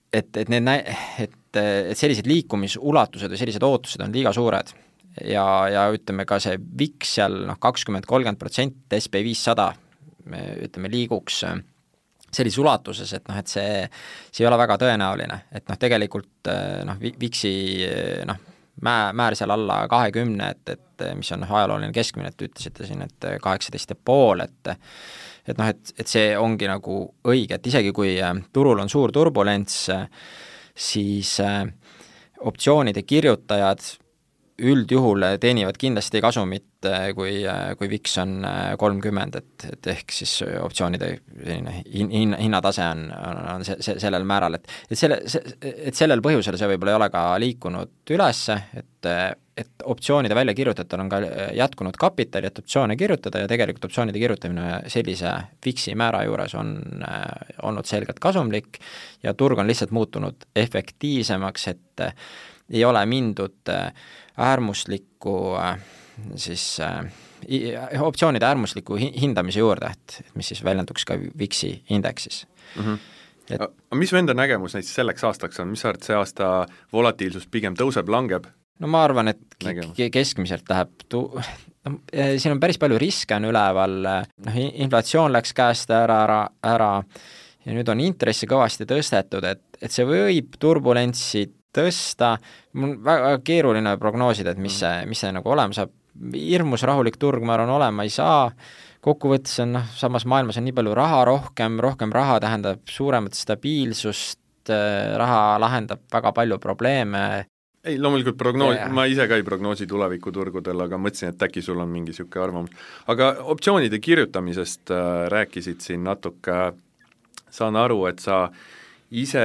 et, et, need nä- et, et sellised liikumisulatused või sellised ootused on liiga suured ja, ja ütleme ka see viks seal noh, kakskümmend kolmkümmend protsenti S P viissada ütleme liiguks sellises ulatuses, et noh, et see, see ei ole väga tõenäoline, et noh, tegelikult noh, viksi noh, Mä, määr seal alla kahekümne, et, et mis on ajalooline keskmine, et ütlesite siin, et kaheksateist ja pool, et et noh, et, et see ongi nagu õige, et isegi kui turul on suur turbulents, siis optsioonide kirjutajad üldjuhul teenivad kindlasti kasumit, kui, kui viks on kolmkümmend, et, et ehk siis optsioonide hin, hinnatase on, on se, se, sellel määral, et, et, selle, et sellel põhjusel see võib-olla ei ole ka liikunud üles, et, et optsioonide väljakirjutajatel on ka jätkunud kapitali, et optsioone kirjutada ja tegelikult optsioonide kirjutamine sellise viksi määra juures on olnud selgelt kasumlik ja turg on lihtsalt muutunud efektiivsemaks, et ei ole mindud äärmuslikku siis äh, optsioonide äärmusliku hindamise juurde, et, et mis siis väljenduks ka viksi indeksis. Mm-hmm. Et... A, mis venda nägemus näiteks selleks aastaks on, mis sa arvad, see aasta volatiilsus pigem tõuseb, langeb? No ma arvan, et k- keskmiselt läheb tu-, no, siin on päris palju riske on üleval, noh, inflatsioon läks käest ära, ära, ära ja nüüd on intressi kõvasti tõstetud, et, et see võib turbulentsi tõsta, mul on väga keeruline prognoosida, et mis see, mis see nagu olema saab, hirmus rahulik turg, ma arvan, olema ei saa, kokkuvõttes on, noh, samas maailmas on nii palju raha, rohkem, rohkem raha tähendab suuremat stabiilsust, raha lahendab väga palju probleeme. Ei, loomulikult prognoos, ma ise ka ei prognoosi tulevikuturgudel, aga mõtlesin, et äkki sul on mingi siuke arvamus. Aga optsioonide kirjutamisest äh, rääkisid siin natuke, saan aru, et sa ise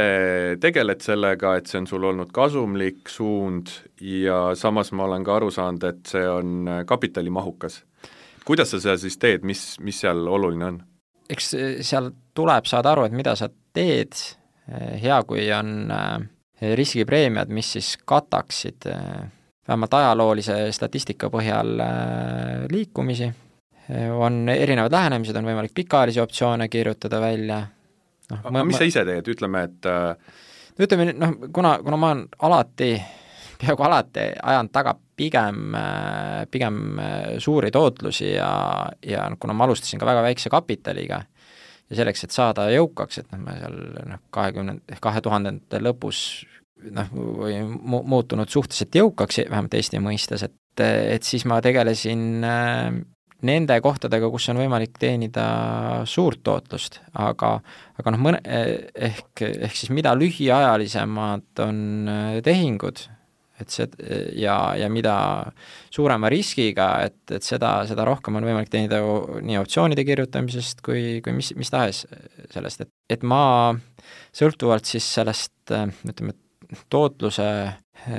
tegeled sellega, et see on sul olnud kasumlik suund ja samas ma olen ka aru saanud, et see on kapitalimahukas. Kuidas sa seda siis teed, mis, mis seal oluline on? Eks seal tuleb saada aru, et mida sa teed, hea kui on riskipreemiad, mis siis kataksid vähemalt ajaloolise statistika põhjal liikumisi. On erinevad lähenemised, on võimalik pikaajalisi optsioone kirjutada välja. No, aga ma, mis sa ise teed, ütleme, et no ütleme, noh, kuna, kuna ma olen alati, peaaegu alati ajanud taga pigem, pigem suuri tootlusi ja, ja kuna ma alustasin ka väga väikse kapitaliga ja selleks, et saada jõukaks, et noh, ma seal noh, kahekümne, kahe tuhandete lõpus noh, või mu, muutunud suhteliselt jõukaks, vähemalt Eesti mõistes, et, et siis ma tegelesin nende kohtadega, kus on võimalik teenida suurt tootlust, aga, aga noh, mõne, ehk, ehk siis mida lühiajalisemad on tehingud, et see, ja, ja mida suurema riskiga, et, et seda, seda rohkem on võimalik teenida nii optsioonide kirjutamisest kui, kui mis, mis tahes sellest, et, et ma sõltuvalt siis sellest, ütleme, tootluse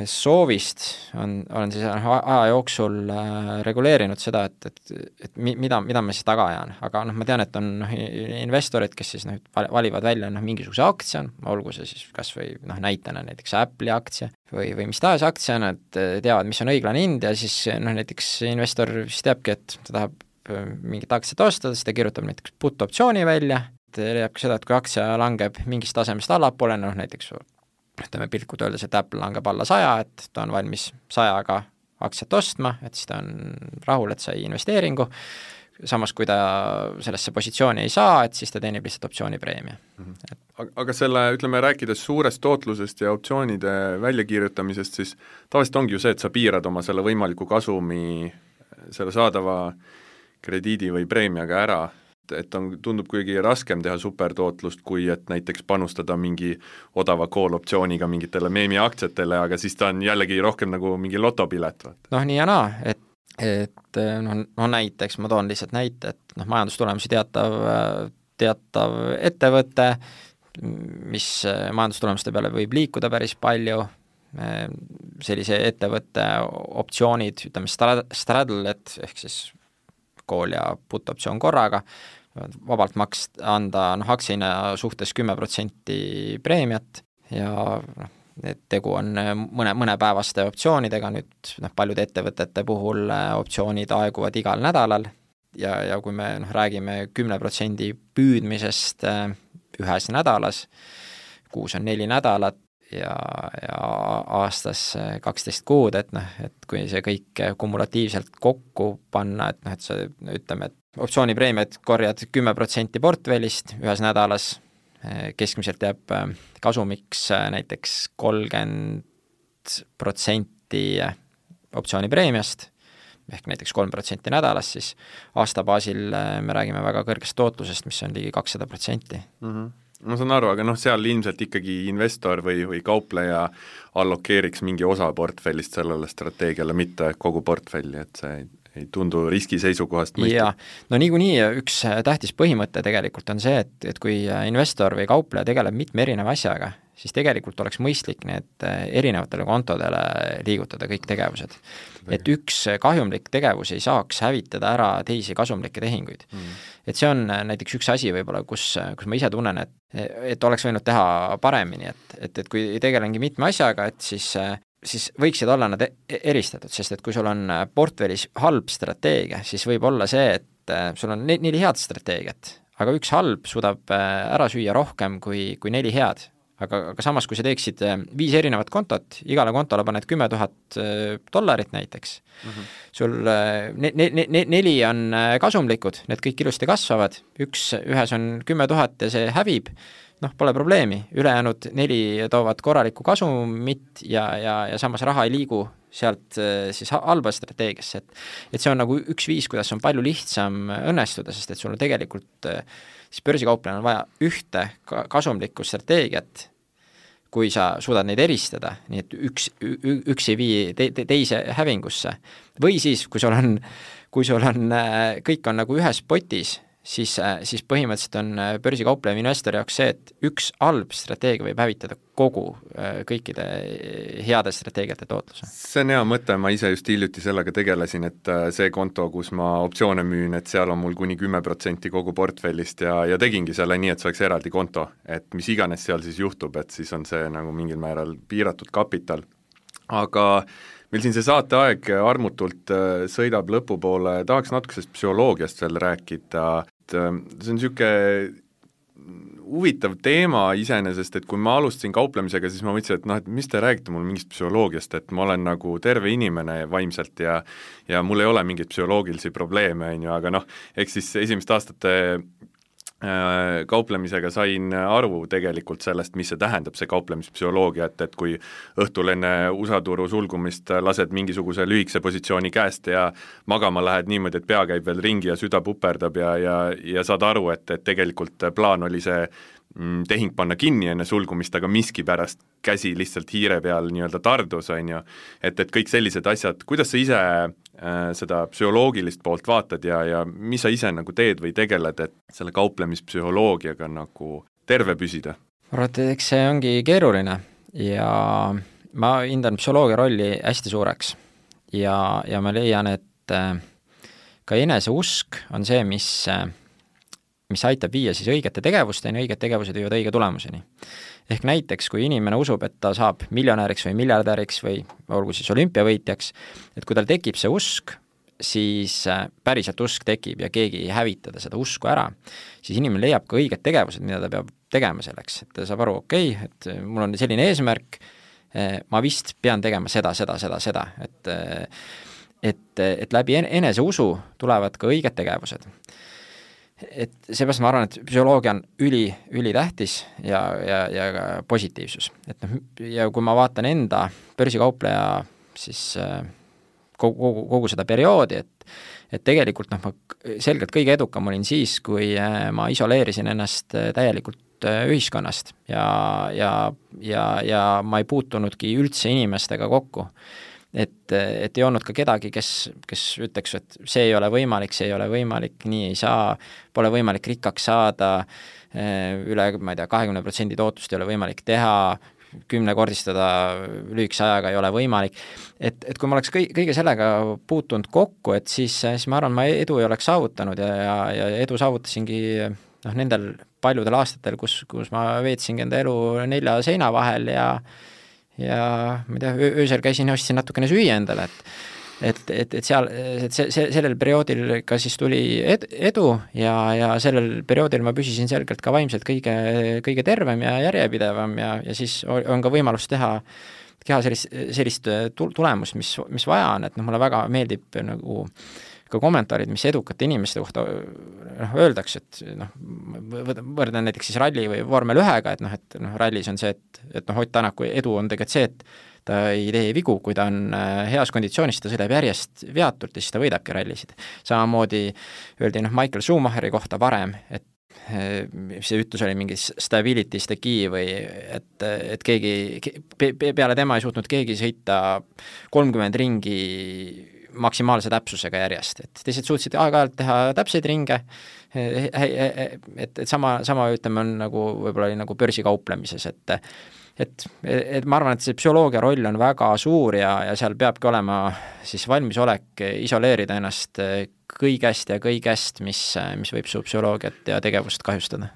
soovist on, olen siis aja jooksul reguleerinud seda, et, et, et mida, mida ma siis taga ajan, aga noh, ma tean, et on noh, investorid, kes siis noh, valivad välja noh, mingisuguse aktsia, olgu see siis kas või noh, näitena näiteks Apple'i aktsia või, või mis tahes aktsia, nad teavad, mis on õiglane hind ja siis noh, näiteks investor siis teabki, et ta tahab mingit aktsiat osta, siis ta kirjutab näiteks put-optsiooni välja, leiab seda, et kui aktsia langeb mingist tasemest allapoole, noh näiteks ütleme pilkult öeldes, et Apple langeb alla saja, et ta on valmis sajaga aktsiat ostma, et siis ta on rahul, et sai investeeringu, samas kui ta sellesse positsiooni ei saa, et siis ta teenib lihtsalt optsioonipreemia. Mm-hmm. Et... Aga selle, ütleme, rääkides suurest tootlusest ja optsioonide väljakirjutamisest, siis tavaliselt ongi ju see, et sa piirad oma selle võimaliku kasumi, selle saadava krediidi või preemiaga ära, et on, tundub kuigi raskem teha supertootlust, kui et näiteks panustada mingi odava call-optsiooniga mingitele meemiaktsiatele, aga siis ta on jällegi rohkem nagu mingi lotopilet. noh, nii ja naa, et, et noh, no näiteks, ma toon lihtsalt näite, et noh, majandustulemusi teatav, teatav ettevõte, mis majandustulemuste peale võib liikuda päris palju, sellise ettevõtte optsioonid, ütleme straddle-et ehk siis call ja put optsioon korraga, vabalt makst anda noh, aktsiahinna suhtes kümme protsenti preemiat ja noh, tegu on mõne, mõnepäevaste optsioonidega, nüüd noh, paljude ettevõtete puhul optsioonid aeguvad igal nädalal ja, ja kui me noh, räägime kümne protsendi püüdmisest ühes nädalas, kuus on neli nädalat ja, ja aastas kaksteist kuud, et noh, et kui see kõik kumulatiivselt kokku panna, et noh, et sa ütleme, et optsioonipreemiad korjad kümme protsenti portfellist ühes nädalas, keskmiselt jääb kasumiks näiteks kolmkümmend protsenti optsioonipreemiast, ehk näiteks kolm protsenti nädalas, siis aasta baasil me räägime väga kõrgest tootlusest, mis on ligi kakssada protsenti. Mm-hmm. Ma saan aru, aga noh, seal ilmselt ikkagi investor või, või kaupleja allokeeriks mingi osa portfellist sellele strateegiale, mitte kogu portfelli, et see ei, ei tundu riski seisukohast mõistlik. Jaa, no niikuinii üks tähtis põhimõte tegelikult on see, et, et kui investor või kaupleja tegeleb mitme erineva asjaga, siis tegelikult oleks mõistlik need erinevatele kontodele liigutada kõik tegevused. Et üks kahjumlik tegevus ei saaks hävitada ära teisi kasumlikke tehinguid. Mm. Et see on näiteks üks asi võib-olla, kus, kus ma ise tunnen, et, et oleks võinud teha paremini, et, et, et kui tegelengi mitme asjaga, et siis, siis võiksid olla nad eristatud, sest et kui sul on portfellis halb strateegia, siis võib olla see, et sul on neli head strateegiat, aga üks halb suudab ära süüa rohkem kui, kui neli head. Aga, aga samas, kui sa teeksid viis erinevat kontot, igale kontole paned kümme tuhat dollarit näiteks, mm-hmm. sul ne, ne, ne, neli on kasumlikud, need kõik ilusti kasvavad, üks, ühes on kümme tuhat ja see hävib, noh, pole probleemi, ülejäänud neli toovad korralikku kasumit ja, ja, ja samas raha ei liigu sealt siis halba strateegiasse, et, et see on nagu üks viis, kuidas on palju lihtsam õnnestuda, sest et sul on tegelikult siis börsikauplejal on vaja ühte kasumlikku strateegiat, kui sa suudad neid eristada, nii et üks, üks ei vii te, te, teise hävingusse. Või siis, kui sul on, kui sul on, kõik on nagu ühes potis, siis, siis põhimõtteliselt on börsikaupleja investori jaoks see, et üks halb strateegia võib hävitada kogu kõikide heade strateegiate tootluse. See on hea mõte, ma ise just hiljuti sellega tegelesin, et see konto, kus ma optsioone müün, et seal on mul kuni kümme protsenti kogu portfellist ja, ja tegingi selle nii, et see oleks eraldi konto, et mis iganes seal siis juhtub, et siis on see nagu mingil määral piiratud kapital. Aga meil siin see saateaeg armutult sõidab lõpupoole, tahaks natukesest psühholoogiast veel rääkida, et see on niisugune huvitav teema iseenesest, et kui ma alustasin kauplemisega, siis ma mõtlesin, et noh, et mis te räägite mul mingist psühholoogiast, et ma olen nagu terve inimene vaimselt ja ja mul ei ole mingeid psühholoogilisi probleeme, on ju, aga noh, eks siis esimest aastate kauplemisega sain aru tegelikult sellest, mis see tähendab, see kauplemispsühholoogia, et, et kui õhtul enne U S A turu sulgumist lased mingisuguse lühikese positsiooni käest ja magama lähed niimoodi, et pea käib veel ringi ja süda puperdab ja, ja, ja saad aru, et, et tegelikult plaan oli see tehing panna kinni enne sulgumist, aga miski pärast käsi lihtsalt hiire peal nii-öelda tardus, on ju, et, et kõik sellised asjad, kuidas sa ise äh, seda psühholoogilist poolt vaatad ja, ja mis sa ise nagu teed või tegeled, et selle kauplemispsühholoogiaga nagu terve püsida? Ma arvan, et eks see ongi keeruline ja ma hindan psühholoogia rolli hästi suureks ja, ja ma leian, et äh, ka eneseusk on see, mis äh, mis aitab viia siis õigete tegevusteni, õiged tegevused viivad õige tulemuseni. Ehk näiteks, kui inimene usub, et ta saab miljonäriks või miljardäriks või olgu siis olümpiavõitjaks, et kui tal tekib see usk, siis päriselt usk tekib ja keegi ei hävitada seda usku ära, siis inimene leiab ka õiged tegevused, mida ta peab tegema selleks, et ta saab aru, okei, okay, et mul on selline eesmärk, ma vist pean tegema seda, seda, seda, seda, et, et, et läbi eneseusu tulevad ka õiged tegevused. Et seepärast ma arvan, et psühholoogia on üli, üli tähtis ja, ja, ja ka positiivsus. Et noh, ja kui ma vaatan enda börsikaupleja siis äh, kogu, kogu, kogu seda perioodi, et et tegelikult noh, ma selgelt kõige edukam olin siis, kui ma isoleerisin ennast täielikult ühiskonnast ja, ja, ja, ja ma ei puutunudki üldse inimestega kokku. Et, et ei olnud ka kedagi, kes, kes ütleks, et see ei ole võimalik, see ei ole võimalik, nii ei saa, pole võimalik rikkaks saada, üle, ma ei tea, kahekümne protsendi tootust ei ole võimalik teha, kümnekordistada lühikese ajaga ei ole võimalik. Et, et kui ma oleks kõige, kõige sellega puutunud kokku, et siis, siis ma arvan, ma edu ei oleks saavutanud ja, ja, ja edu saavutasingi noh, nendel paljudel aastatel, kus, kus ma veetsingi enda elu nelja seina vahel ja ja ma ei tea, öösel käisin ja ostsin natukene süüa endale, et et, et, et seal, et see, see, sellel perioodil ka siis tuli ed, edu ja, ja sellel perioodil ma püsisin selgelt ka vaimselt kõige, kõige tervem ja järjepidevam ja, ja siis on ka võimalus teha, teha sellist, sellist tulemust, mis, mis vaja on, et noh, mulle väga meeldib nagu ka kommentaarid, mis edukate inimeste kohta noh, öeldakse, et noh, võrdan näiteks siis ralli või vormel ühega, et noh, et noh, rallis on see, et, et noh, Ott Tänaku edu on tegelikult see, et ta ei tee vigu, kui ta on heas konditsioonis, ta sõidab järjest veatult ja siis ta võidabki rallisid. Samamoodi öeldi noh, Michael Schumacheri kohta varem, et see ütlus oli mingi stability is the key või et, et keegi, peale tema ei suutnud keegi sõita kolmkümmend ringi maksimaalse täpsusega järjest, et teised suutsid aeg-ajalt teha täpseid ringe, et, et sama, sama ütleme on nagu võib-olla oli nagu börsikauplemises, et et, et ma arvan, et see psühholoogia roll on väga suur ja, ja seal peabki olema siis valmisolek isoleerida ennast kõigest ja kõigest, mis, mis võib su psühholoogiat ja tegevust kahjustada.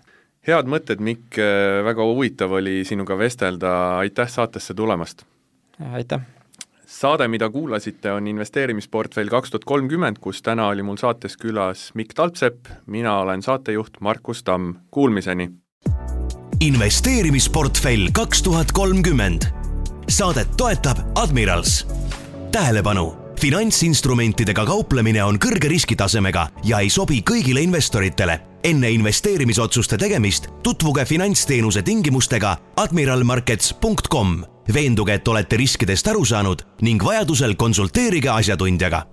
Head mõtted, Mikk, väga huvitav oli sinuga vestelda, aitäh saatesse tulemast! Aitäh! Saade, mida kuulasite, on investeerimisportfell kaks tuhat kolmkümmend, kus täna oli mul saates külas Mikk Talpsepp, mina olen saatejuht Markus Tamm. Kuulmiseni! Investeerimisportfell kaks tuhat kolmkümmend. Saadet toetab Admirals. Tähelepanu! Finantsinstrumentidega kauplemine on kõrge riskitasemega ja ei sobi kõigile investoritele. Enne investeerimisotsuste tegemist tutvuge finantsteenuse tingimustega admiral markets punkt com. Veenduge, et olete riskidest aru saanud ning vajadusel konsulteerige asjatundjaga.